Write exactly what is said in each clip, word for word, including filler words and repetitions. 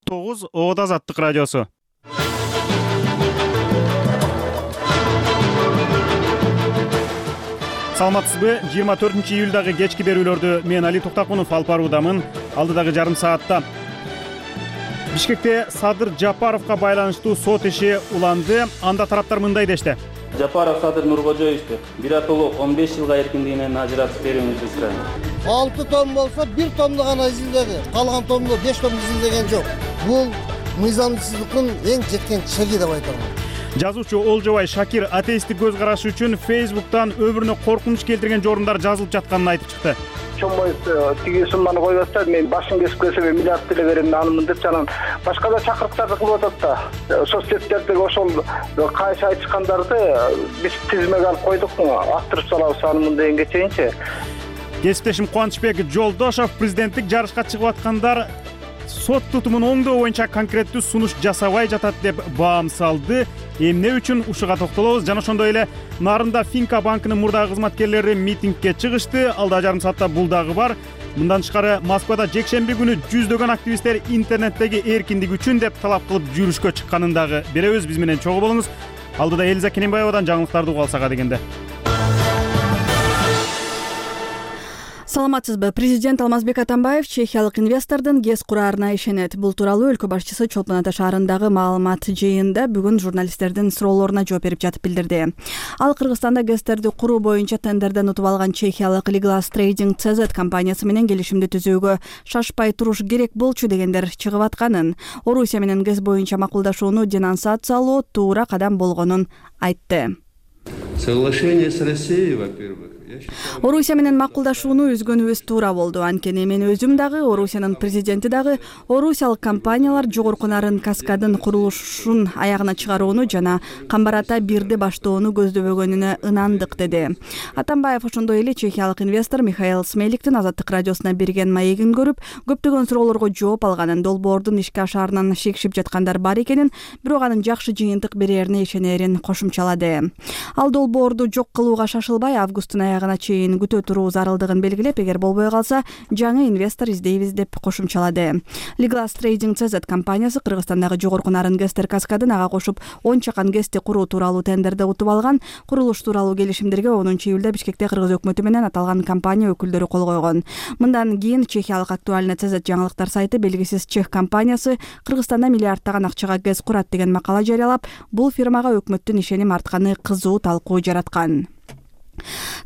тогуз Оодо Азаттык радиосу. Саламатсызбы? жыйырма төртүнчү июлдагы кечки берүүлөрдү мен Али Токтакунов алып баруудамын. Алдыдагы жарым саатта Бишкекте Садыр Жапаровго байланыштуу сот иши уланды. Анда тараптар мындай дешти. Жапаров Садыр Нуркожоевичти биротолук он беш жылга эркиндигинен ажыратып берүүңүздү сурайм. алты том болсо бир томду гана изилдеди. Калган томду беш том изилдеген жок. Бул мыйзамсыздыктын эң жеткен чеги деп айтам. Жазуучу Олжобай Шакир атеисттик көз карашы үчүн Facebook'тан өмүрүнө коркунуч келтирген жорундар жазылып жатканын айтып чыкты. Чоңбой тиги сумманы коюп атса, мен башын кесип келсе миллиард деле берем анымын деп жанан башка да чакырыктарды кылып атат да. Соцсеттердеги ошол кайсы айтышкандарды биз тизмеге алып койдук, аттырып салабыз анымын дегенге чейинчи. Кесиптешим Кубанычбек Жолдошов президенттик жарышка чыгып аткандар сот тутумун оңдоо боюнча конкреттүү сунуш жасабай жатат деп баам салды. Эмне үчүн ушуга токтолобуз. Жана ошондой эле Нарында Финка банкынын мурдагы кызматкерлери митингге чыгышты. Алда жарым саатта бул дагы бар. Мындан тышкары Москвада жекшемби күнү жүздөгөн активисттер интернеттеги эркиндик үчүн деп талап кылып жүрүшкө чыкканын дагы беребиз. Биз менен чогуу болуңуз. Алдыда Элиза Кененбаевадан жаңылыктарды угуп алсак дегенде. Саламатсызбы? Президент Алмазбек Атамбаев чехиялык инвестордун ГЭС кураарына ишенет. Бул тууралуу өлкө башчысы Чолпон Ата шаарындагы маалымат жыйынында бүгүн журналисттердин суроолоруна жооп берип жатып билдирди. Ал Кыргызстанда ГЭСтерди куруу боюнча тендерден утуп алган чехиялык Liglas Trading си зет компаниясы менен келишимди түзүүгө шашпай туруш керек болчу дегендер чыгып атканын, Орусия менен ГЭС боюнча макулдашууну денонсациялоо туура кадам болгонун айтты. Соглашение с Россией, во-первых. Орусия менен макулдашууну үзгөнүбүз туура болду. Анткени мен өзүм дагы, Орусиянын президенти дагы орусиялык компаниялар жогорку нарын каскадын курулушун аягына чыгарууну жана Камбар-Ата бирди баштоону көздөбөгөнүнө ынандык деди. Атамбаев ошондой эле чехиялык инвестор Михаил Смеликтин Азаттык радиосуна берген маегин көрүп, көптөгөн суроолорго жооп алганын, долбоордун ишке ашаарынан шекшип жаткандар бар экенин, бирок анын жакшы жыйынтык берерине ишенерин кошумчалады. Ал долбоорду жок кылууга шашылбай, августтун аягына чейин күтө туруу зарылдыгын белгилеп, эгер болбой калса, жаңы инвестор издейбиз деп кошумчалады. Liglas Trading си зет компаниясы Кыргызстандагы жогорку нарын ГЭСтер каскадын ага кошуп он чакан ГЭСти куруу тууралуу тендерде утуп алган. Курулуш тууралуу келишимдерге онунчу июлда Бишкекте Кыргыз өкмөтү менен аталган компания өкүлдөрү кол койгон. Мындан кийин чехиялык Актуальный си зет жаңылыктар сайты белгисиз чех компаниясы Кыргызстанда миллиардтаган акчага ГЭС курат деген макала жарыялап, бул фирмага өкмөттүн ишеним артканы кызуу талкуу жараткан.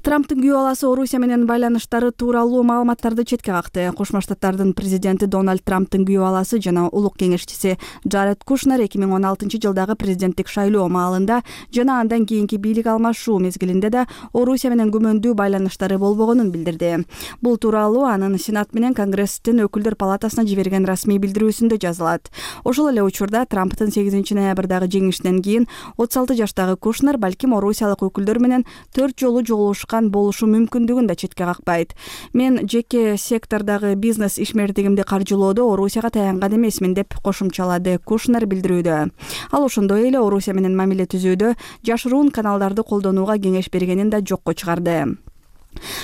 Трамптын күйөө баласы Орусия менен байланыштары тууралуу маалыматтарды четке какты. Кошмо Штаттардын президенти Дональд Трамптын күйөө баласы жана улук кеңешчиси Джаред Кушнер эки миң он алтынчы жылдагы президенттик шайлоо маалында жана андан кийинки бийлик алмашуу мезгилинде да Орусия менен күмөндүү байланыштары болбогонун билдирди. Бул тууралуу анын Сенат менен Конгресстин өкүлдөр палатасына жиберген расмий билдирүүсүндө жазылат. Ошол эле учурда Трамптын сегизинчи ноябрдагы жеңишинен кийин отуз алты жаштагы Кушнер балким орусиялык өкүлдөр менен төрт жолу жолугушкан болушу мүмкүндүгүн да четке какпайт. Мен жеке сектордагы бизнес ишмердигимди каржылоодо Орусияга таянган эмесмин деп кошумчалады Кушнер билдирүүдө. Ал ошондой эле Орусия менен мамиле түзүүдө жашыруун каналдарды колдонууга кеңеш бергенин да жокко чыгарды.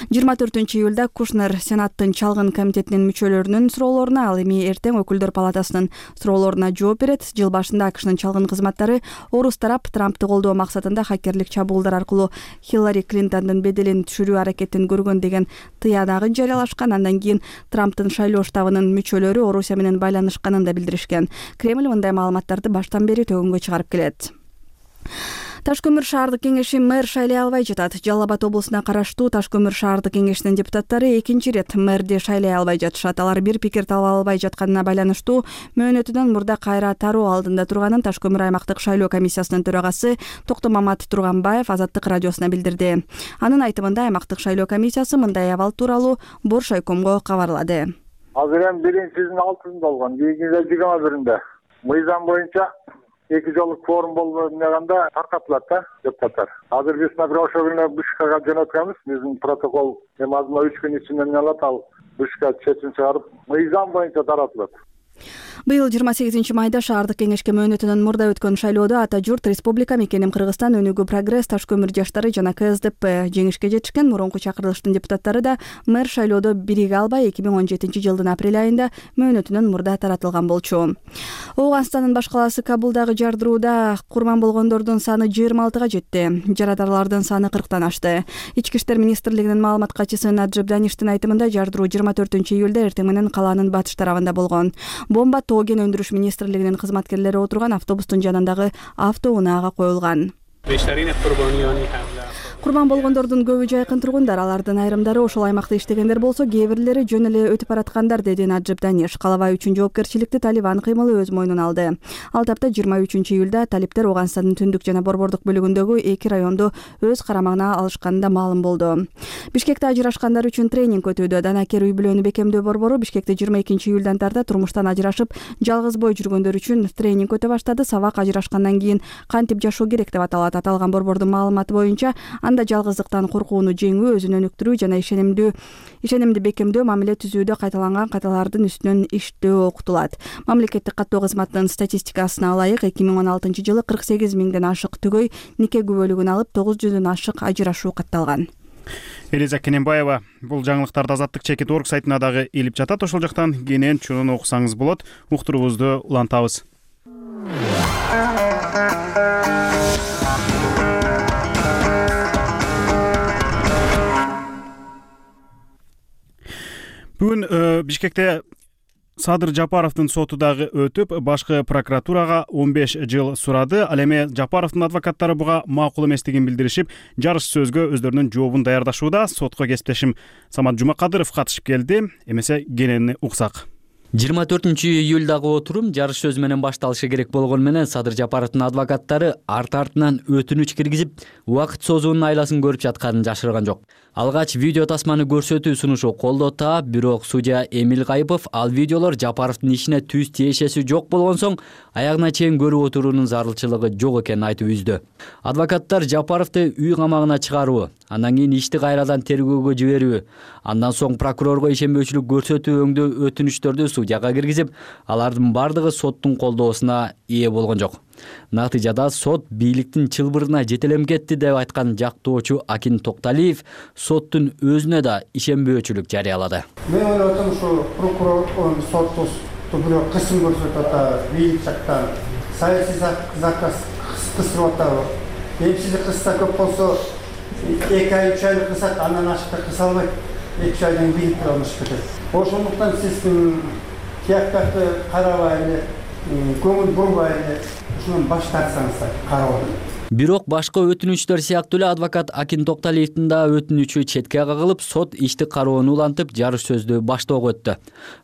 жыйырма төртүнчү июлда Кушнер Сенаттын чалгын комитетинин мүчөлөрүнүн суроолоруна, ал эми эртең өкүлдөр палатасынын суроолоруна жооп берет. Жыл башында АКШнын чалгын кызматтары орус тарап Трампты колдоо максатында хакерлик чабуулдар аркылуу Хиллари Клинтондун беделин түшүрүү аракетин көргөн деген тыянагын жарыялашкан. Андан кийин Трамптын шайлоо штабынын мүчөлөрү Орусия менен байланышканын да билдиришкен. Кремль мындай маалыматтарды баштан бери төгүнгө чыгарып келет. Таш көмүр шаардык кеңеши мэр шайлай албай жатат. Жалал Абад облусуна караштуу Таш көмүр шаардык кеңешинин депутаттары экинчи ирет мэрди шайлай албай жатышат. Алар бир пикир таба албай жатканына байланыштуу мөөнөтүнөн мурда кайра тароо алдында турганын Таш көмүр аймактык шайлоо комиссиясынын төрагасы Токтомамат Турганбаев Азаттык радиосуна билдирди. Анын айтымында аймактык шайлоо комиссиясы мындай абал тууралуу Боршайкомго кабарлады. Азыр эми биринчисинин алтысында болгон, кийинкиде жыйырма биринде. Мыйзам боюнча эки жолдук форум болгондо таркатылат да депутаттар. Азыр биз например ошол күнү Бишкекке жөнөткөнбүз. Биздин протокол эми азыр үч күн ичинде алат, ал Бишкек чечим чыгарып мыйзам боюнча таратылат. Быйыл жыйырма сегизинчи майда шаардык кеңешке мөөнөтүнөн мурда өткөн шайлоодо ата журт Республика мекеним Кыргызстан өнүгүү прогресс Таш көмүр жаштары жана К С Д П жеңишке жетишкен. Мурунку чакырылыштын депутаттары да мэр шайлоодо бириге албай эки миң он жетинчи жылдын апрель айында мөөнөтүнөн мурда таратылган болчу. Ооганстандын баш калаасы Кабулдагы жардырууда курман болгондордун саны жыйырма алтыга жетти. Жарадарлардын саны кырктан ашты. Ички иштер министрлигинин маалымат катчысы Наджиб Даништин айтымында жардыруу жыйырма төртүнчү июлда эртең менен калаанын батыш тарабында болгон. Бомба тоо кен өндүрүш министрлигинин кызматкерлери отурган автобустун жанындагы автоунаага коюлган. Курман болгондордун көбү жайкын тургундар, алардын айрымдары ошол аймакта иштегендер болсо, кээ бирлери жөн эле өтүп бараткандар, деди Наджиб Даниш. Калабай үчүн жоопкерчиликти Талибан кыймылы өз мойнуна алды. Ал тапта жыйырма үчүнчү июлда талиптер Ооганстандын түндүк жана борбордук бөлүгүндөгү эки районду өз карамагына алышканында маалым болду. Бишкекте ажырашкандар үчүн тренинг өтүүдө. Данакер үй бүлөнү бекемдөө борбору Бишкекте жыйырма экинчи июлдан тарта турмуштан ажырашып, жалгыз бой жүргөндөр үчүн тренинг өтө баштады. Сабак ажырашкандан кийин кантип жашоо керек деп аталат. Аталган борбордун маалыматы боюнча, анда жалгыздыктан коркууну жеңүү, өзүн өнүктүрүү жана ишенимдүү ишенимди бекемдөө, мамиле түзүүдө кайталанган каталардын үстүнөн иштөө окутулат. Мамлекеттик каттоо кызматынын статистикасына ылайык эки миң он алтынчы жылы кырк сегиз миңден ашык түгөй нике күбөлүгүн алып, тогуз жүздөн ашык ажырашуу катталган. Элиза Кененбаева бул жаңылыктарды Азаттык чекит орг сайтына дагы илип жатат. Ошол жактан кенен чунун окусаңыз болот. Уктуруубузду улантабыз. Бүгүн Бишкекте Садыр Жапаровдун соту дагы өтүп, башкы прокуратурага он беш жыл сурады. Ал эми Жапаровдун адвокаттары буга макул эместигин билдиришип, жарыш сөзгө өздөрүнүн жообун даярдашууда. Сотко кесиптешим Самат Жумакадыров катышып келди. Эмесе кенени уксак. жыйырма төртүнчү июлдагы отурум жарыш сөз менен башталышы керек болгон менен Садыр Жапаровдун адвокаттары арт-артынан өтүнүч киргизип, убакыт созуунун айласын көрүп жатканын жашырган жок. Алгач видео тасманы көрсөтүү сунушу колдо таап, бирок судья Эмил Кайыпов ал видеолор Жапаровдун ишине түз тиешеси жок болгон соң, аягына чейин көрүп отуруунун зарылчылыгы жок экенин айтып үздү. Адвокаттар Жапаровду үй камагына чыгаруу, андан кийин ишти кайрадан тергөөгө жиберүү, андан соң прокурорго ишенбөөчүлүк көрсөтүү өңдөө өтүнүчтөрдү судьяга киргизип, алардын бардыгы соттун колдоосуна ээ болгон жок. Натыйжада сот бийликтин чылбырына жетелем кетти деп айткан жактоочу Акин Токталиев соттун өзүнө да ишенбөөчүлүк жарыялады. Мен ойлойм, ушу прокурор сотту бирок кысым көрсөтүп атат, бийлик жактан саясий заказ кыстырып атат. Эмчизи кысса көп болсо эки ай, үч айлык кысат, андан ашык кыса албайт. эки үч айдан бийлик алмашып кетет. Ошондуктан сиз тияктарды карабай эле, көңүл бурбай эле ушунан баш тартсаңыздар кароодон. Бирок башка өтүнүчтөр сыяктуу эле адвокат Акин Токталиевдин да өтүнүчү четке кагылып, сот ишти кароону улантып, жарыш сөздү баштоого өттү.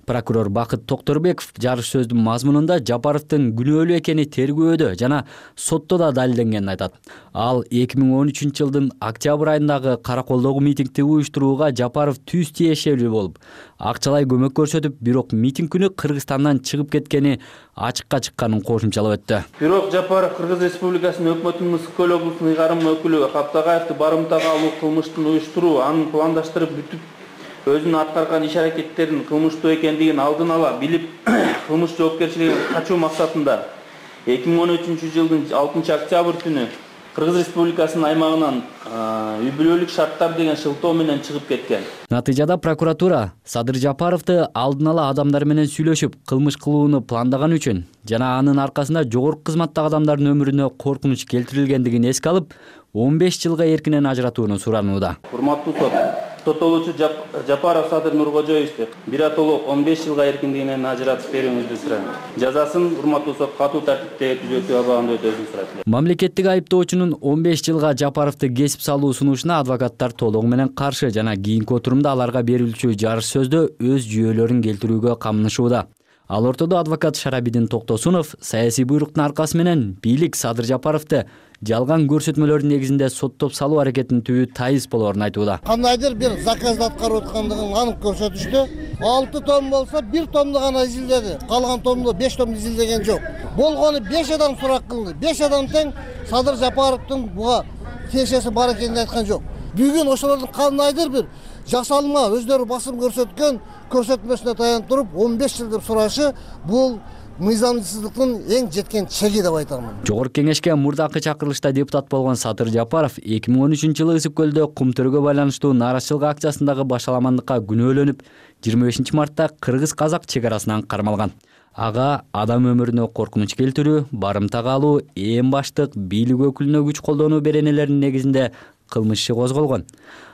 Прокурор Бакыт Токторбеков жарыш сөздүн мазмунунда Жапаровдун күнөөлүү экени тергөөдө жана сотто да далилденгенин айтат. Ал эки миң он үчүнчү жылдын октябрь айындагы Караколдогу митингди уюштурууга Жапаров түз тиешелүү болуп, акчалай көмөк көрсөтүп, бирок митинг күнү Кыргызстандан чыгып кеткени ачыкка чыкканын кошумчалап өттү. Бирок Жапаров Кыргыз Республикасынын өкмөтүнүн Ысык-Көл облусунун ыйгарым өкүлү Каптагаевди барымтага алуу кылмыштын уюштуруу, анын пландаштырып бүтүп, өзүнүн аткарган иш аракеттерин кылмыштуу экендигин алдын ала билип, кылмыш жоопкерчилигин качуу максатында эки миң он үчүнчү жылдын алтынчы октябрь түнү Кыргыз Республикасынын аймагынан үй бүлөлүк шарттар деген шылтоо менен чыгып кеткен. Натыйжада прокуратура Садыр Жапаровду алдын ала адамдар менен сүйлөшүп, кылмыш кылууну пландаган үчүн жана анын аркасында жогорку кызматтагы адамдардын өмүрүнө коркунуч келтирилгендигин эске алып, он беш жылга эркинен ажыратууну суранууда. Урматтуу сот, соттолуучу Жапаров Садыр Нуркожоевди биротоло он беш жылга эркиндигинен ажыратып берүүңүздү сурайм. Жазасын урматтуу сот катуу тартипте түзөтүү абагында өтөсүн сурайт. Мамлекеттик айыптоочунун он беш жылга Жапаровду кесип салуу сунушуна адвокаттар толугу менен каршы жана кийинки отурумда аларга берилчү жарыш сөздө өз жүйөлөрүн келтирүүгө камынышууда. Ал ортодо адвокат Шарабидин Токтосунов саясий буйруктун аркасы менен бийлик Садыр Жапаровду жалган көрсөтмөлөрдүн негизинде соттоп салуу аракетин түбү тайыз болоорун айтууда. Кандайдыр бир заказды аткарып аткандыгын анык көрсөтүштү. алты том болсо бир томду гана изилдеди. Калган томду беш том изилдеген жок. Болгону беш адам сурак кылды. беш адам тең Садыр Жапаровдун буга тиешеси бар экенин айткан жок. Бүгүн ошолордун кандайдыр бир жасалма өздөрү басым көрсөткөн көрсөтмөсүнө таянып туруп он беш жыл деп сурашы, бул мыйзамсыздыктын эң жеткен чеги деп айтамын. Жогорку кеңешке мурдакы чакырылышта депутат болгон Садыр Жапаров эки миң он үчүнчү жылы Ысык көлдө кум төрөгө байланыштуу нааразычылык акциясындагы башаламандыкка күнөөлөнүп, жыйырма бешинчи мартта кыргыз-казак чек арасынан кармалган. Ага адам өмүрүнө коркунуч келтирүү, барымтага алуу, эң баштык бийлик өкүлүнө күч колдонуу беренелеринин негизинде кылмыш иши козголгон.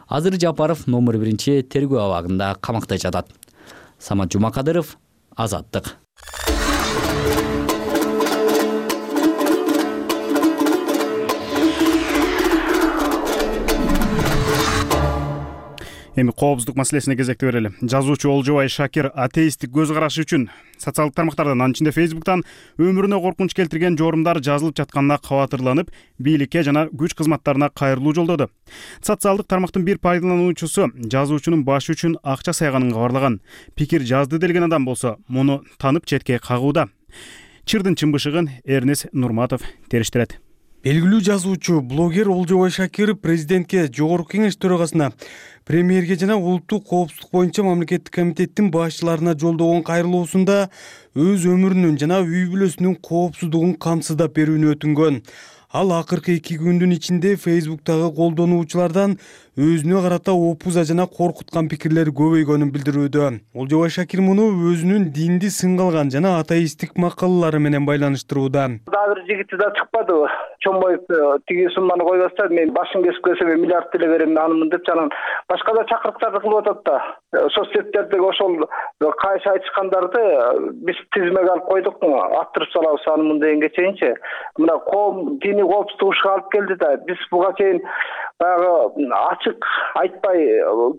Азыр Жапаров номер биринчи тергөө абагында камакта жатат. Самат Жумакадыров, Азаттык. Эми коопсуздук маселесине кезекти берели. Жазуучу Олжобай Шакир атеисттик көз карашы үчүн социалдык тармактардан, анын ичинде Фейсбуктан өмүрүнө коркунуч келтирген жорумдар жазылып жатканына кабатырланып, бийликке жана күч кызматтарына кайрылуу жолдоду. Социалдык тармактын бир пайдалануучусу жазуучунун башы үчүн акча сайганын кабарлаган. Пикир жазды делген адам болсо, муну танып четке кагууда. Чырдын чымбышыгын Эрнес Нурматов териштирет. Белгилүү жазуучу, блогер Олжобай Шакир президентке, жогорку кеңеш төрагасына, премьерге жана улуттук коопсуздук боюнча мамлекеттик комитеттин башчыларына жолдогон кайрылуусунда өз өмүрүнүн жана үй бүлөсүнүн коопсуздугун камсыздап берүүнү өтүнгөн. Ал акыркы эки күндүн ичинде Фейсбуктагы колдонуучулардан өзүнө карата опуза жана коркуткан пикирлер көбөйгөнүн билдирүүдө. Олжобай Шакир муну өзүнүн динди сынгалган жана атеисттик макалалары менен байланыштырууда. Дагы бир жигити да чыкпады. Чомоев тиги сумманы койбостон мен башын кесип келсем миллиард теле берем анымын деп жанан башка да чакырыктарды кылып атат да. Соцсеттердеги ошол кайшы айтышкандарды биз тизмеге алып койдук, аттырып салабыз анымын дегенге чейинчи. Мына коом диний коопсуздук ушуга алып келди да биз буга чейин баягы ачык айтпай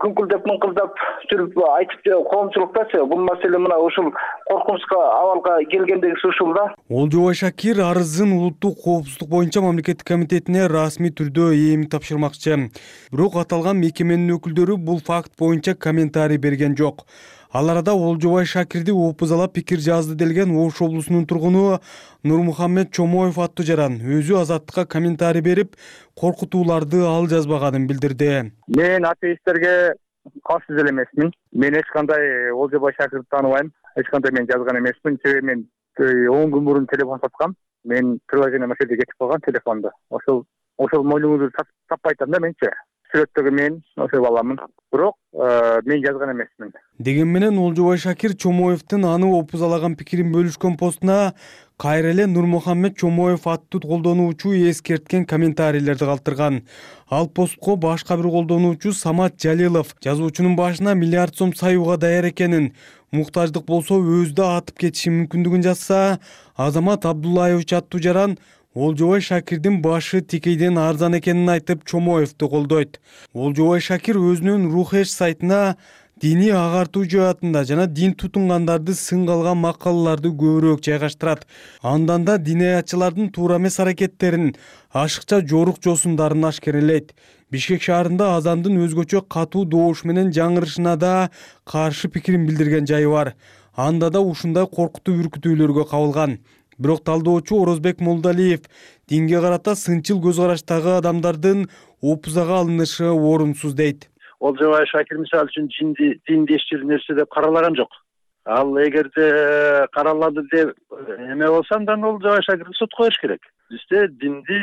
күңкүлдөп мыңкылдап жүрүп айтып коомчулуктачы бул маселе мына ушул коркунучка абалга келгендегиси ушул да. Олжобай Шакир арызын улуттук коопсуздук боюнча мамлекеттик комитетине расмий түрдө эми тапшырмакчы. Бирок аталган мекеменин өкүлдөрү бул факт боюнча комментарий берген жок. Ал арада Олжобай Шакирди опузалап пикир жазды делген Ош облусунун тургуну Нурмухаммед Чомоев аттуу жаран өзү Азаттыкка комментарий берип, коркутууларды ал жазбаганын билдирди. Мен атеисттерге каршы деле эмесмин. Мен эч кандай Олжобай Шакирди тааныбайм. Эч кандай мен жазган эмесмин. Себеби мен он күн мурун телефон саткам. Мен приложение маселеде кетип калган телефонду. Ошол ошол моюңузду таппай атам да менчи. Сүрөттөгү мен ошол баламын. Бирок мен жазган эмесмин. Деген менен Олжобай Шакир Чомоевдин аны опузалаган пикирин бөлүшкөн постуна кайра эле Нурмухаммед Чомоев аттуу колдонуучу эскерткен комментарийлерди калтырган. Ал постко башка бир колдонуучу Самат Жалилов жазуучунун башына миллиард сом саюуга даяр экенин, муктаждык болсо өзү да атып кетиши мүмкүндүгүн жазса, Азамат Абдуллаевич аттуу жаран Олжобай Шакирдин башы тикейден арзан экенин айтып Чомоевду колдойт. Олжобай Шакир өзүнүн Рухеш сайтына диний агартуу жаатында жана дин тутунгандарды сынгалган макалаларды көбүрөөк жайгаштырат. Андан да динаятчылардын туура эмес аракеттерин, ашыкча жорук жосундарын ашкерелейт. Бишкек шаарында азандын өзгөчө катуу добуш менен жаңырышына да каршы пикирин билдирген жайы бар. Анда да ушундай коркутуу үркүтүүлөргө кабылган. Бирок талдоочу Орозбек Молдалиев динге карата сынчыл көз караштагы адамдардын опузага алынышы орунсуз дейт. Олжобай Шакир мисалы үчүн диндештир нерсе деп каралаган жок. Ал эгерде каралады деп эме болсо андан Олжобай Шакирди сотко коюш керек. Бизде динди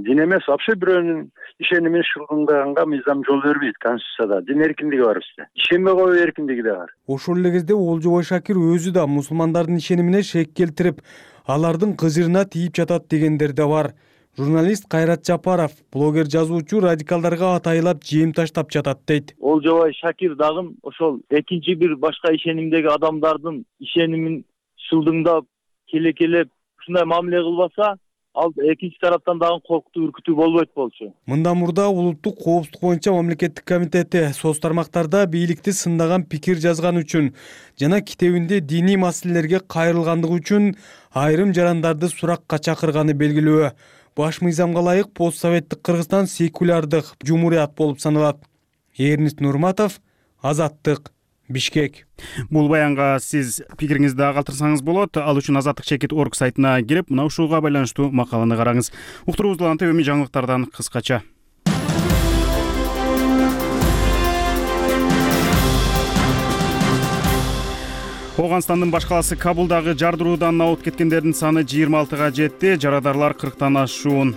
дин эмес вообще бирөөнүн ишенимин шылгындаганга мыйзам жол бербейт конституцияда. Дин эркиндиги бар бизде. Ишенбей коюу эркиндиги да бар. Ошол эле кезде Олжобай Шакир өзү да мусулмандардын ишенимине шек келтирип, алардын кыжырына тийип жатат дегендер да бар. Журналист Кайрат Жапаров, блогер жазуучу радикалдарга атайлап жем таштап жатат дейт. Олжобай Шакир дагы ошол экинчи бир башка ишенимдеги адамдардын ишенимин шылдыңдап, келе-келеп ушундай мамиле кылбаса, ал экинчи тараптан дагы коркутуу үркүтүү болбойт болчу. Мындан мурда улуттук коопсуздук боюнча мамлекеттик комитети соц тармактарда бийликти сындаган пикир жазган үчүн жана китебинде диний маселелерге кайрылгандыгы үчүн айрым жарандарды суракка чакырганы белгилүү. Баш мыйзамга ылайык постсоветтик Кыргызстан секулярдык жумурият болуп саналат. Эрнис Нурматов, Азаттык, Бишкек. Бул баянга сиз пикириңизди калтырсаңыз болот. Ал үчүн азаттык чекит точка орг сайтына кирип, мына ушуга байланыштуу макаланы караңыз. Уктуруубузду антип эми жаңылыктардан кыскача. Ооганстандын баш калаасы Кабулдагы жардыруудан абут кеткендердин саны жыйырма алтыга жетти, жарадарлар кырктан ашуун.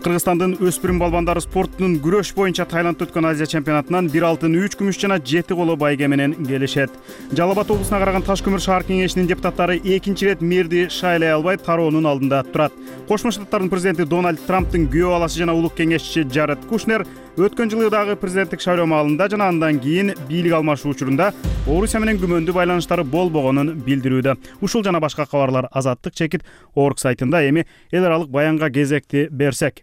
Кыргызстандын өспүрүм балбандары спортунун күрөш боюнча Таиландда өткөн Азия чемпионатынан бир алтын, үч күмүш жана жети коло байге менен келишет. Жалал Абад облусуна караган Таш көмүр шаар кеңешинин депутаттары экинчи ирет мэрди шайлай албай тароонун алдында турат. Кошмо Штаттардын президенти Дональд Трамптын күйөө баласы жана улук кеңешчиси Джаред Кушнер өткөн жылы дагы президенттик шайлоо маалында жана андан кийин бийлик алмашуу учурунда Орусия менен күмөндүү байланыштары болбогонун билдирүүдө. Ушул жана башка кабарлар Азаттык чекит орг сайтында. Эми эл аралык баянга кезекти берсек.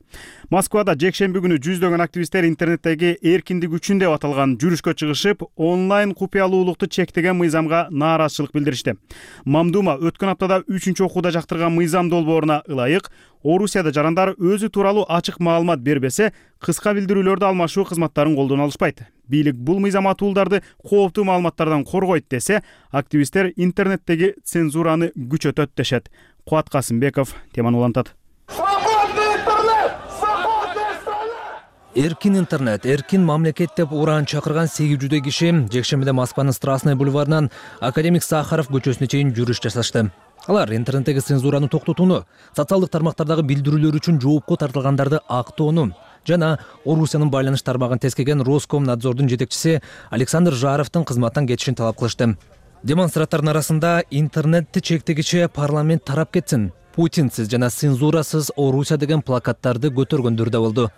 Москвада жекшемби күнү жүздөгөн активисттер интернеттеги эркиндик үчүн деп аталган жүрүшкө чыгышып, онлайн купуялуулукту чектеген мыйзамга нааразычылык билдиришти. Мамдума өткөн аптада үчүнчү окууда жактырган мыйзам долбооруна ылайык, Орусияда жарандар өзү тууралуу ачык маалымат бербесе, кыска билдирүүлөрдү алмашуу кызматтарын колдоно алышпайт. Бийлик бул мыйзам атуулдарды кооптуу маалыматтардан коргойт десе, активисттер интернеттеги цензураны күчөтөт дешет. Кубат Касымбеков теманы улантат. Эркин интернет, эркин мамлекет деп ураан чакырган сегиз жүздөй киши жекшембиде Москванын Страстный бульварынан Академик Сахаров көчөсүнө чейин жүрүш жасашты. Алар интернеттеги цензураны токтотууну, социалдык тармактардагы билдирүүлөр үчүн жоопко тартылгандарды актоону жана Орусиянын байланыш тармагын тескеген Роскомнадзордун жетекчиси Александр Жаровдун кызматтан кетишин талап кылышты. Демонстранттардын арасында интернетти чектегиче парламент тарап кетсин, Путинсиз жана цензурасыз Орусия деген плакаттарды көтөргөндөр да болду.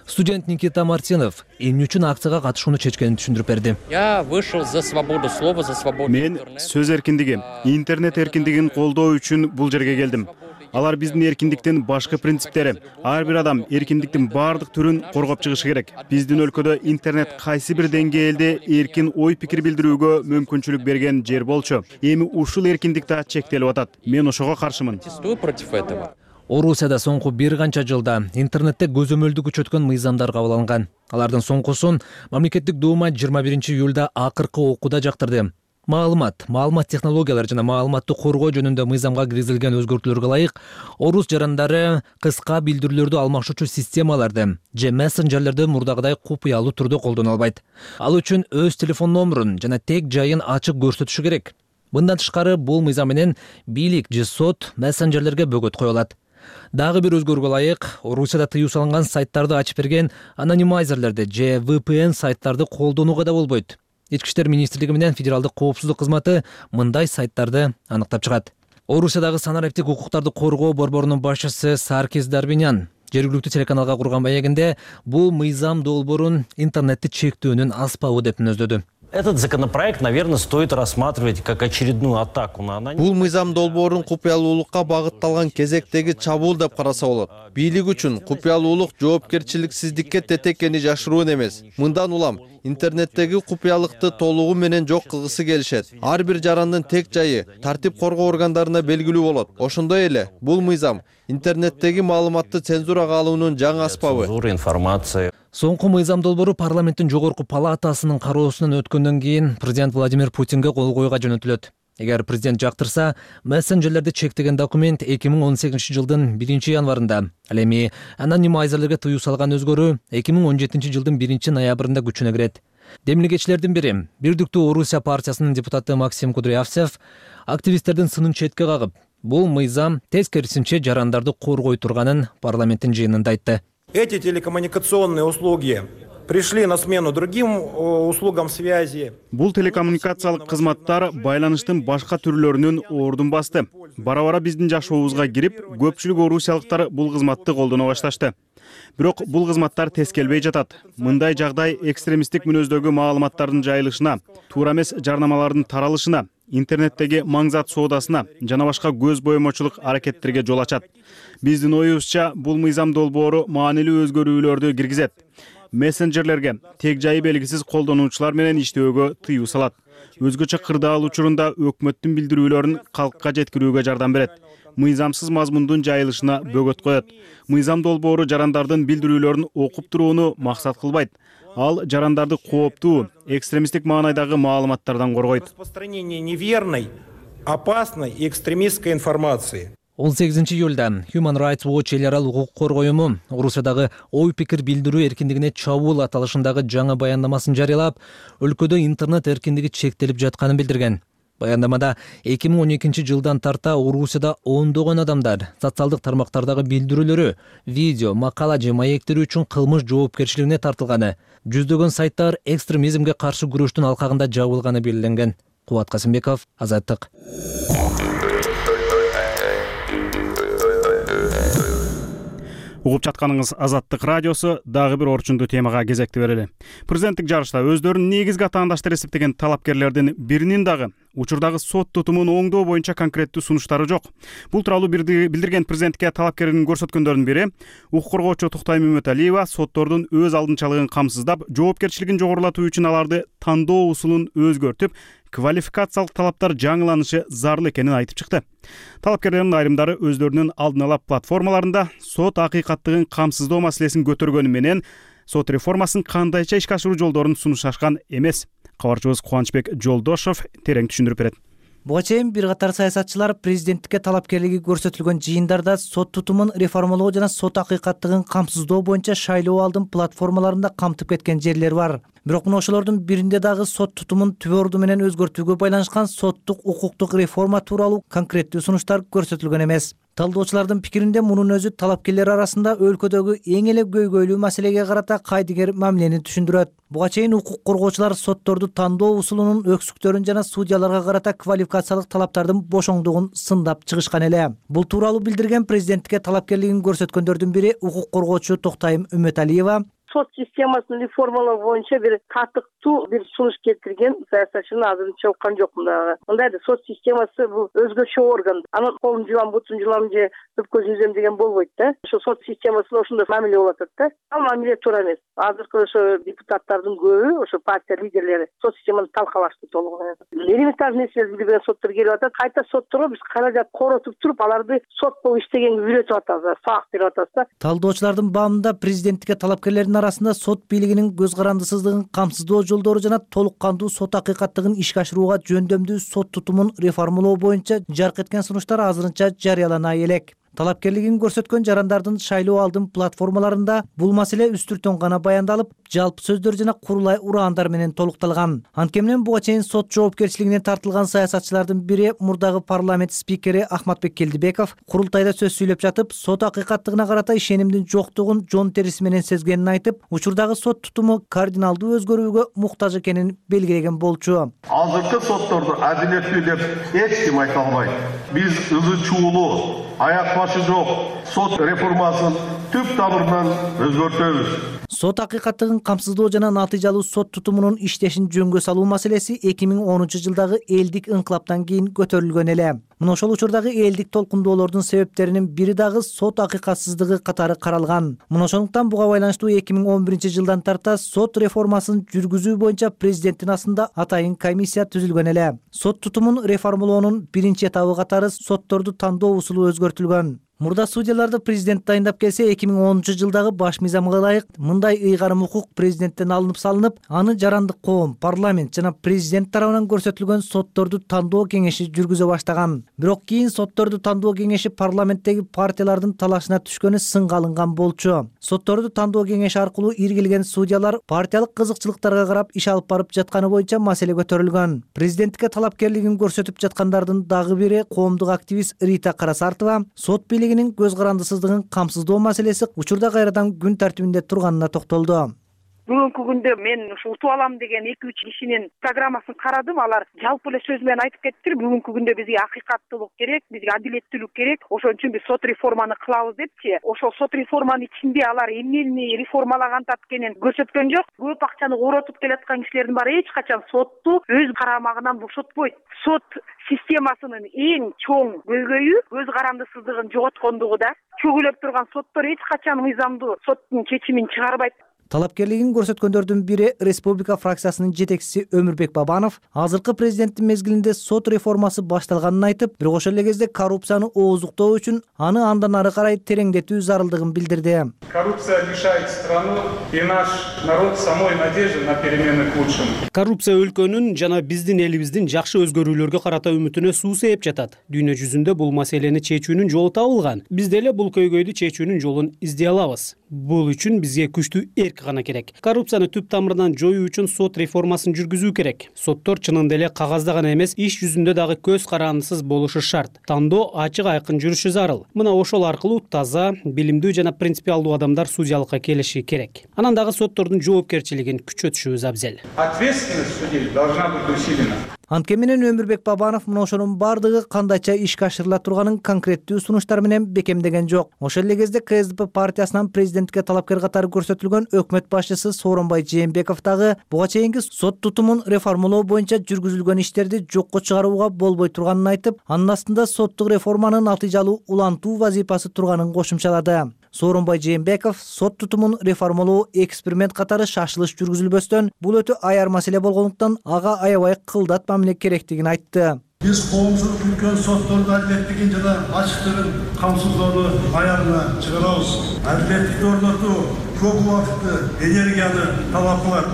Студент Никита Мартинов эмне үчүн акцияга катышууну чечкенин түшүндүрүп берди. Я вышел за свободу слова, за свободу. Мен сөз эркиндиги, интернет эркиндигин колдоо үчүн бул жерге келдим. Алар биздин эркиндиктин башкы принциптери. Ар бир адам эркиндиктин баардык түрүн коргоп чыгышы керек. Биздин өлкөдө интернет кайсы бир деңгээлде эркин ой пикир билдирүүгө мүмкүнчүлүк берген жер болчу. Эми ушул эркиндик да чектелип атат. Мен ошого каршымын. Против этого. Орусияда соңку бир канча жылда интернетте көзөмөлдү күчөткөн мыйзамдар кабыл алынган. Алардын соңкусун мамлекеттик дума жыйырма биринчи июлда акыркы окууда жактырды. Маалымат, маалымат технологиялары жана маалыматты коргоо жөнүндө мыйзамга киргизилген өзгөртүүлөргө ылайык, орус жарандары кыска билдирүүлөрдү алмашуучу системаларды же мессенджерлерди мурдагыдай купуялуу түрдө колдоно албайт. Ал үчүн өз телефон номурун жана тек жайын ачык көрсөтүшү керек. Мындан тышкары бул мыйзам менен бийлик же сот мессенджерлерге бөгөт кое алат. Дагы бир өзгөрүүгө ылайык, Орусияда тыюу салынган сайттарды ачып берген анонимайзерлерди же ви пи эн сайттарды колдонууга да болбойт. Ички иштер министрлиги менен федералдык коопсуздук кызматы мындай сайттарды аныктап чыгат. Орусиядагы санариптик укуктарды коргоо борборунун башчысы Саркис Дарбинян жергиликтүү телеканалга курган маегинде бул мыйзам долбоорун интернетти чектөөнүн аспабы деп мүнөздөдү. Этот законопроект, наверное, стоит рассматривать как очередную атаку на анонимность. Бул мыйзам долбоорун купуялуулукка багытталган кезектеги чабуул деп караса болот. Бийлик үчүн купуялуулук жоопкерчиликсиздикке тетекени жашыруун эмес. Мындан улам интернеттеги купуялыкты толугу менен жок кылгысы келишет. Ар бир жарандын тек жайы тартип коргоо органдарына белгилүү болот. Ошондой эле бул мыйзам интернеттеги маалыматты цензурага алуунун жаңы аспабы. Информация. Соңку мыйзам долбоору парламенттин жогорку палатасынын кароосунан өткөндөн кийин президент Владимир Путинге кол коюуга жөнөтүлөт. Эгер президент жактырса, мессенджерлерди чектеген документ эки миң он сегизинчи жылдын биринчи январында, ал эми анонимайзерлерге тыюу салган өзгөрүү эки миң он жетинчи жылдын биринчи ноябрында күчүнө кирет. Демилгечилердин бири, Бирдиктүү Орусия партиясынын депутаты Максим Кудрявцев активисттердин сынын четке кагып, бул мыйзам тескерисинче жарандарды коргой турганын парламенттин жыйынында айтты. Эти телекоммуникационные услуги пришли на смену другим услугам связи. Бул телекоммуникациялык кызматтар байланыштын башка түрлөрүнүн ордун басты. Бара-бара биздин жашообузга кирип, көпчүлүк орусиялыктар бул кызматты колдоно башташты. Бирок бул кызматтар тескелбей жатат. Мындай жагдай экстремисттик мүнөздөгү маалыматтардын жайылышына, туура эмес жарнамалардын таралышына, интернеттеги маңзат соодасына жана башка көз боемочулук аракеттерге жол ачат. Биздин оюбузча бул мыйзам долбоору маанилүү өзгөрүүлөрдү киргизет. Мессенджерлерге тег жайы белгисиз колдонуучулар менен иштөөгө тыюу салат. Өзгөчө кырдаал учурунда өкмөттүн билдирүүлөрүн калкка жеткирүүгө жардам берет. Мыйзамсыз мазмундун жайылышына бөгөт коет. Мыйзам долбоору жарандардын билдирүүлөрүн окуп турууну максат кылбайт. Ал жарандарды кооптуу, экстремисттик маанайдагы маалыматтардан коргойт. Распространение неверной, опасной и экстремистской информации. он сегизинчи июлда Human Rights Watch эл аралык укук коргоо уюму Орусиядагы ой пикир билдирүү эркиндигине чабуул аталышындагы жаңы баяндамасын жарыялап, өлкөдө интернет эркиндиги чектелип жатканын билдирген. Баяндамада эки миң он экинчи жылдан тарта Орусияда ондогон адамдар социалдык тармактардагы билдирүүлөрү, видео, макала же маектери үчүн кылмыш жоопкерчилигине тартылганы, жүздөгөн сайттар экстремизмге каршы күрөштүн алкагында жабылганы белгиленген. Кубат Касымбеков, Азаттык. Угуп жатканыңыз Азаттык радиосу. Дагы бир орчундуу темага кезекти берели. Президенттик жарышта өздөрүн негизги атаандаштар эсептеген талапкерлердин биринин дагы учурдагы сот тутумун оңдоо боюнча конкреттүү сунуштары жок. Бул тууралуу билдирген президентке талапкердин көрсөткөндөрдүн бири укук коргоочу Туктайым Үмөталиева соттордун өз алдынчалыгын камсыздап, жоопкерчилигин жогорулатуу үчүн аларды тандоо усулун өзгөртүп, квалификациялык талаптар жаңыланышы зарыл экенин айтып чыкты. Талапкерлердин айрымдары өздөрүнүн алдын ала платформаларында сот акыйкаттыгын камсыздоо маселесин көтөргөнү менен сот реформасын кандайча ишке ашыруу жолдорун сунушташкан эмес. Кабарчыбыз Кубанычбек Жолдошов терең түшүндүрүп берет. Буга чейин бир катар саясатчылар президенттикке талапкерлиги көрсөтүлгөн жыйындарда сот тутумун реформалоо жана сот акыйкаттыгын камсыздоо боюнча шайлоо алдын платформаларында камтып кеткен жерлер бар. Бирок мына ошолордун биринде дагы сот тутумун түбөрдү менен өзгөртүүгө байланышкан соттук укуктук реформа тууралуу конкреттүү сунуштар көрсөтүлгөн эмес. Талдоочулардын пикиринде мунун өзү талапкерлер арасында өлкөдөгү эң эле көйгөйлүү маселеге карата кайдыгер мамилени түшүндүрөт. Буга чейин укук коргоочулар сотторду тандоо усулунун өксүктөрүн жана судьяларга карата квалификациялык талаптардын бошоңдугун сындап чыгышкан эле. Бул тууралуу билдирген президенттикке талапкерлигин көрсөткөндөрдүн бири укук коргоочу Токтайым Үмөталиева. Сот системасын реформалоо боюнча бир татыктуу бир сунуш келтирген саясатчыны азырынча уккан жокмун дагы. Мындайда сот системасы бул өзгөчө орган. Анын колун жуам, бутун жуам же түп көзүн үзөм деген болбойт да. Ошо сот системасында ошондой мамиле болуп атат да. Ал мамиле туура эмес. Азыркы ошо депутаттардын көбү, ошо партия лидерлери сот системаны талкалашты толугу менен. Элементарный нерселерди билбеген соттор келип атат. Кайта сотторго биз каражат коротуп туруп, аларды сот болуп иштегенге үйрөтүп атабыз, сабак берип атабыз да. Талдоочулардын баамында президенттикке талапкерлердин арасында сот бийлигинин көз карандысыздыгын камсыздоо жолдору жана толук кандуу сот акыйкаттыгын ишке ашырууга жөндөмдүү сот тутумун реформалоо боюнча жарк эткен сунуштар азырынча жарыялана элек. Талапкерлигин көрсөткөн жарандардын шайлоо алдын платформаларында бул маселе үстүртөн гана баяндалып, жалпы сөздөр жана курулай ураандар менен толукталган. Анткени буга чейин сот жоопкерчилигине тартылган саясатчылардын бири мурдагы парламент спикери Ахматбек Келдибеков курултайда сөз сүйлөп жатып, сот акыйкаттыгына карата ишенимдин жоктугун жон териси менен сезгенин айтып, учурдагы сот тутуму кардиналдуу өзгөрүүгө муктаж экенин белгилеген болчу. Азыркы сотторду адилеттүү деп эч ким айта албайт. Биз ызы чуулуу, аяк башы жок сот реформасын түп тамырынан өзгөртөбүз. Сот акыйкаттыгын камсыздоо жана натыйжалуу сот тутумунун иштешин жөнгө салуу маселеси эки миң онунчу жылдагы элдик инкылаптан кийин көтөрүлгөн эле. Мына ошол учурдагы элдик толкундоолордун себептеринин бири дагы сот акыйкатсыздыгы катары каралган. Мына ошондуктан буга байланыштуу эки миң он биринчи жылдан тарта сот реформасын жүргүзүү боюнча президенттин астында атайын комиссия түзүлгөн эле. Сот тутумун реформалоонун биринчи этабы катары сотторду тандоо усулу өзгөртүлгөн. Мурда судьяларды президент дайындап келсе, эки миң онунчу жылдагы баш мыйзамга ылайык мындай ыйгарым укук президенттен алынып салынып, аны жарандык коом, парламент жана президент тарабынан көрсөтүлгөн сотторду тандоо кеңеши жүргүзө баштаган. Бирок кийин сотторду тандоо кеңеши парламенттеги партиялардын талашына түшкөнү сынга алынган болчу. Сотторду тандоо кеңеши аркылуу иргилген судьялар партиялык кызыкчылыктарга карап иш алып барып жатканы боюнча маселе көтөрүлгөн. Президенттикке талапкерлигин көрсөтүп жаткандардын дагы бири коомдук активист Рита Карасартова сот көз карандысыздыгын камсыздоо маселеси учурда кайрадан күн тартибинде турганына токтолду. Бүгүнкү күндө мен ушу утуп алам деген эки үч кишинин программасын карадым. Алар жалпы эле сөз менен айтып кеттир. Бүгүнкү күндө бизге акыйкаттуулук керек, бизге адилеттүүлүк керек. Ошон үчүн биз сот реформаны кылабыз депчи. Ошол сот реформанын ичинде алар эмнени реформалаган экенин көрсөткөн жок. Көп акчаны коротуп келаткан кишилердин баары эч качан сотту өз карамагынан бошотпойт. Сот системасынын эң чоң көйгөйү көз карандысыздыгын жоготкондугу да. Чөгүлөп турган соттор эч качан мыйзамдуу соттун чечимин чыгарбайт. Талапкерлигин көрсөткөндөрдүн бири Республика фракциясынын жетекчиси Өмүрбек Бабанов азыркы президенттин мезгилинде сот реформасы башталганын айтып, бирок ошол эле кезде коррупцияны ооздуктоо үчүн аны андан ары карай тереңдетүү зарылдыгын билдирди. Коррупция лишает страну и наш народ самой надежды на перемены к лучшему. Коррупция өлкөнүн жана биздин элибиздин жакшы өзгөрүүлөргө карата үмүтүнө суу сээп жатат. Дүйнө жүзүндө бул маселени чечүүнүн жолу табылган. Биз деле бул көйгөйдү чечүүнүн жолун издей алабыз. Бул үчүн бизге күчтүү эрк гана керек. Коррупцияны түп тамырынан жоюу үчүн сот реформасын жүргүзүү керек. Соттор чынында эле кагазда гана эмес, иш жүзүндө дагы көз карандысыз болушу шарт. Тандоо ачык айкын жүрүшү зарыл. Мына ошол аркылуу таза, билимдүү жана принципиалдуу адамдар судьялыкка келиши керек. Анан дагы соттордун жоопкерчилигин күчөтүшүбүз абзел. Ответственность судей должна быть усилена. Анткени менен Өмүрбек Бабанов мына ошонун бардыгы кандайча ишке ашырыла турганын конкреттүү сунуштар менен бекемдеген жок. Ошол эле кезде ка эс дэ пэ партиясынан президентке талапкер катары көрсөтүлгөн өкмөт башчысы Сооронбай Жээнбеков дагы буга чейинки сот тутумун реформалоо боюнча жүргүзүлгөн иштерди жокко чыгарууга болбой турганын айтып, анын астында соттук реформанын натыйжалуу улантуу вазифасы турганын кошумчалады. Сооронбай Жээнбеков сот тутумун реформалоо эксперимент катары шашылыш жүргүзүлбөстөн, бул өтө аяр маселе болгондуктан ага аябай кылдат мамиле керектигин айтты. Биз коомчулук үлкөн соттордун адилеттигин жана ачыктыгын камсыздоону аягына чыгарабыз. Адилеттикти орнотуу көп убакытты, энергияны талап кылат.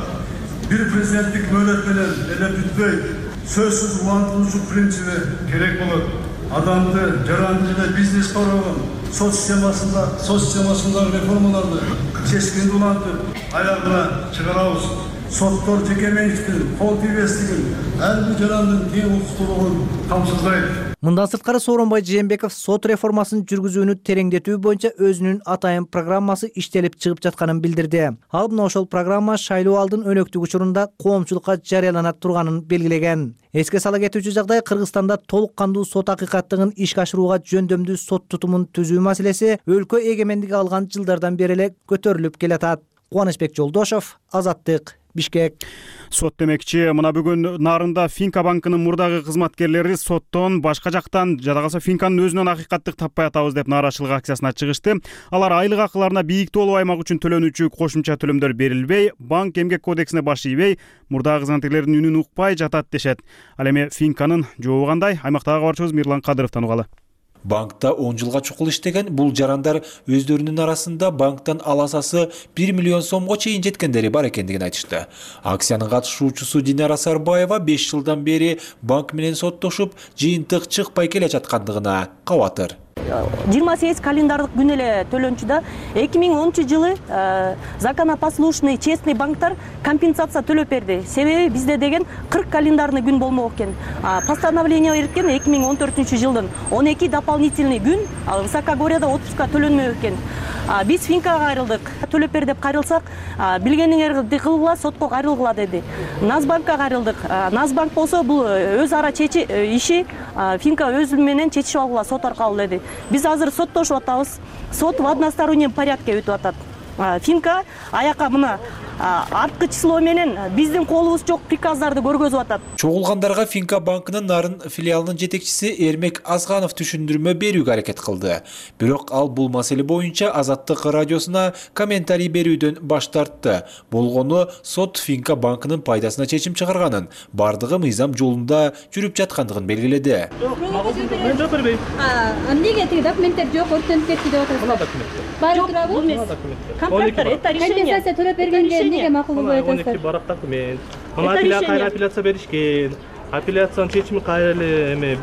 Бир президенттик мөөнөт менен эле бүтпөйт. Сөзсүз улантуучу принциби керек болот. Адамды жаранды жана бизнес коргогон сот системасында сот системасындагы реформаларды чечкиндүү улантып, аягына чыгарабыз. Соттор жеке менчиктин, кол тийбестигин, ар бир жарандын тең укуктуулугун камсыздайт. Мындан сырткары Сооронбай Жээнбеков сот реформасын жүргүзүүнү тереңдетүү боюнча өзүнүн атайын программасы иштелип чыгып жатканын билдирди. Ал мына ошол программа шайлоо алдын өнөктүк учурунда коомчулукка жарыялана турганын белгилеген. Эске сала кетүүчү жагдай, Кыргызстанда толук кандуу сот акыйкаттыгын ишке ашырууга жөндөмдүү сот тутумун түзүү маселеси өлкө эгемендиги алган жылдардан бери эле көтөрүлүп келатат. Кубанычбек Жолдошов, Азаттык, Бишкек. Сот демекчи, мына бүгүн Нарында Финка банкынын мурдагы кызматкерлери соттон, башка жактан, жада калса Финканын өзүнөн акыйкаттык таппай атабыз деп нааразычылык акциясына чыгышты. Алар айлык акыларына бийик тоолуу аймак үчүн төлөнүүчү кошумча төлөмдөр берилбей, банк эмгек кодексине баш ийбей, мурдагы кызматкерлердин үнүн укпай жатат дешет. Ал эми Финканын жообу кандай? Аймактагы кабарчыбыз Мирлан Кадыровдон угалы. Банкта он жылга чукул иштеген бул жарандар өздөрүнүн арасында банктан аласасы бир миллион сомго чейин жеткендери бар экендигин айтышты. Акциянын катышуучусу Динара Сарбаева беш жылдан бери банк менен соттошуп, жыйынтык чыкпай келе жаткандыгына кабатыр. жыйырма сегиз календардык күн эле төлөнчү да. эки миң онунчу жылы законопослушный честный банктар компенсация төлөп берди. Себеби бизде деген кырк календарный күн болмок экен. Постановление берген эки миң он төртүнчү жылдын он эки дополнительный күн высокогорьяда отпуска төлөнмөк экен. Биз Финкага кайрылдык. Төлөп бер деп кайрылсак, билгениңерди кылгыла, сотко кайрылгыла деди. Назбанкка кайрылдык. Назбанк болсо бул өз ара чечи иши Финка өзү менен чечип алгыла сот аркылуу деди. Биз азыр соттошуп атабыз. Сот в одностороннем порядке өтүп атат. Финка аяка мына арткы число менен биздин колубуз жок приказдарды көргөзүп атат. Чогулгандарга Финка банкынын Нарын филиалынын жетекчиси Эрмек Азганов түшүндүрмө берүүгө аракет кылды. Бирок ал бул маселе боюнча Азаттык радиосуна комментарий берүүдөн баш тартты. Болгону сот Финка банкынын пайдасына чечим чыгарганын, бардыгы мыйзам жолунда жүрүп жаткандыгын белгиледи. Мен жок бербейм. Эмнеге тиги документтер жок, өртөнүп кетти деп атасыз? Мына документтер. Баары турабы? Контракттар, это решение. Компенсация төлөп бергенде эмнеге макул болбой атасыздар? он эки барак документ. Мына апелляция апелляция беришкен. Апелляциянын чечими кайра эле эме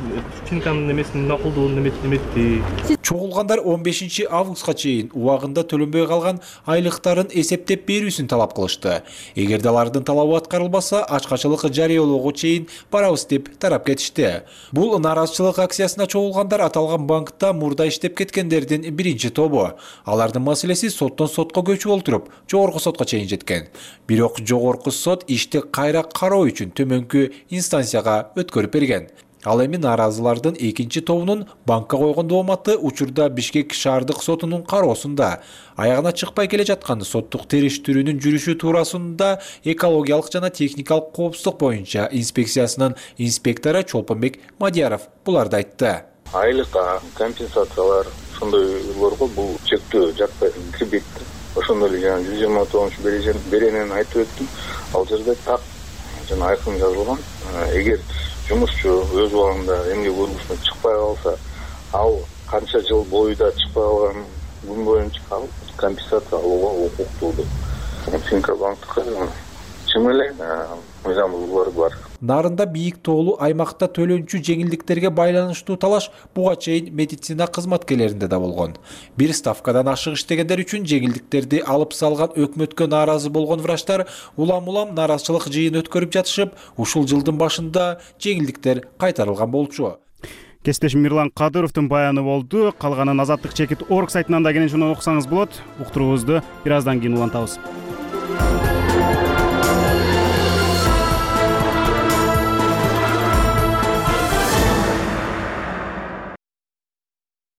Финканын эмесин макулдугун эметти. Чогулгандар он бешинчи августка чейин убагында төлөнбөй калган айлыктарын эсептеп берүүсүн талап кылышты. Эгерде алардын талабы аткарылбаса, ачкачылык жарыялоого чейин барабыз деп тарап кетишти. Бул нааразычылык акциясына чогулгандар аталган банкта мурда иштеп кеткендердин биринчи тобу. Алардын маселеси соттон сотко көчүп олтуруп, жогорку сотко чейин жеткен. Бирок жогорку сот ишти кайра кароо үчүн төмөнкү инстанцияга өткөрүп берген. Ал эми нааразылардын экинчи тобунун банкка койгон дооматы учурда Бишкек шаардык сотунун кароосунда. Аягына чыкпай келе жаткан соттук териштирүүнүн жүрүшү туурасында экологиялык жана техникалык коопсуздук боюнча инспекциясынын инспектору Чолпонбек Мадияров буларды айтты. Айлык компенсациялар ошондойлорго бул чектөө жатпай кирбейт. Ошондой эле жана жүз жыйырма тогузунчу беренени айтып өттүм. Ал жерде так жана айкын жазылган. Эгер жумушчу өз убагында эмгек өргүсүнө чыкпай калса, ал канча жыл боюда чыкпай калган күн боюнча ал компенсация алууга укуктуу. Финка банктыкы чын эле мыйзам бузуулары бар. Нарында бийик тоолуу аймакта төлөнчү жеңилдиктерге байланыштуу талаш буга чейин медицина кызматкерлеринде да болгон. Бир ставкадан ашык иштегендер үчүн жеңилдиктерди алып салган өкмөткө нааразы болгон врачтар улам-улам нааразычылык жыйын өткөрүп жатышып, ушул жылдын башында жеңилдиктер кайтарылган болчу. Кесиптешим Мирлан Кадыровдун баяны болду. Калганын азаттык чекит орг сайтынан да кенен шуну окусаңыз болот. Уктуруубузду бир аздан кийин улантабыз.